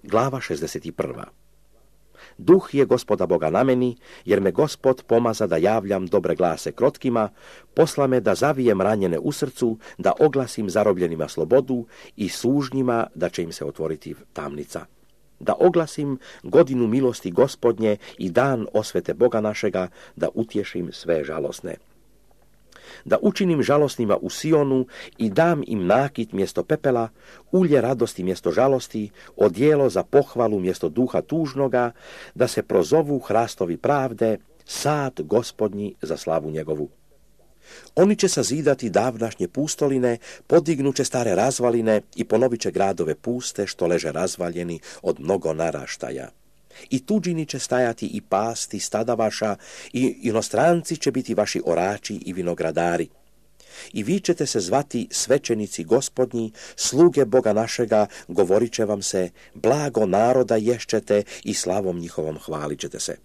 Glava 61. Duh je Gospoda Boga na meni, jer me Gospod pomaza da javljam dobre glase krotkima, posla me da zavijem ranjene u srcu, da oglasim zarobljenima slobodu i sužnjima da će im se otvoriti tamnica. Da oglasim godinu milosti Gospodnje i dan osvete Boga našega, da utješim sve žalosne. Da učinim žalosnima u Sionu i dam im nakit mjesto pepela, ulje radosti mjesto žalosti, odijelo za pohvalu mjesto duha tužnoga, da se prozovu hrastovi pravde, sad Gospodnji za slavu njegovu. Oni će sazidati davnašnje pustoline, podignuće stare razvaline i ponovit će gradove puste što leže razvaljeni od mnogo naraštaja. I tuđini će stajati i pasti stada vaša, i inostranci će biti vaši orači i vinogradari. I vi ćete se zvati svećenici Gospodnji, sluge Boga našega, govorit će vam se, blago naroda ješćete i slavom njihovom hvalit ćete se.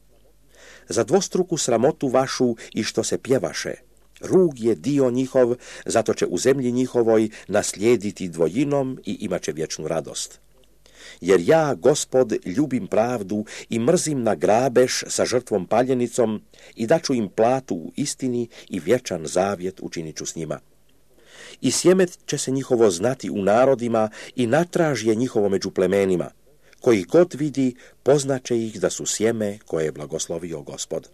Za dvostruku sramotu vašu i što se pjevaše, rug je dio njihov, zato će u zemlji njihovoj naslijediti dvojinom i imat će vječnu radost. Jer ja, Gospod, ljubim pravdu i mrzim na grabež sa žrtvom paljenicom i daću im platu u istini i vječan zavjet učinit ću s njima. I sjemet će se njihovo znati u narodima i natraž je njihovo među plemenima. Koji god vidi, poznaće ih da su sjeme koje je blagoslovio Gospod.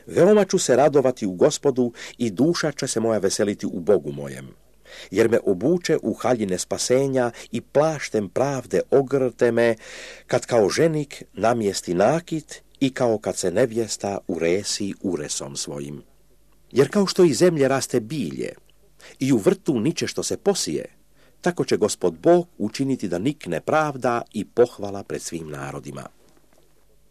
Veoma ću se radovati u Gospodu i duša će se moja veseliti u Bogu mojem. Jer me obuče u haljine spasenja i plaštem pravde ogrte me, kad kao ženik namjesti nakit i kao kad se nevjesta uresi uresom svojim. Jer kao što iz zemlje raste bilje i u vrtu niče što se posije, tako će Gospod Bog učiniti da nikne pravda i pohvala pred svim narodima.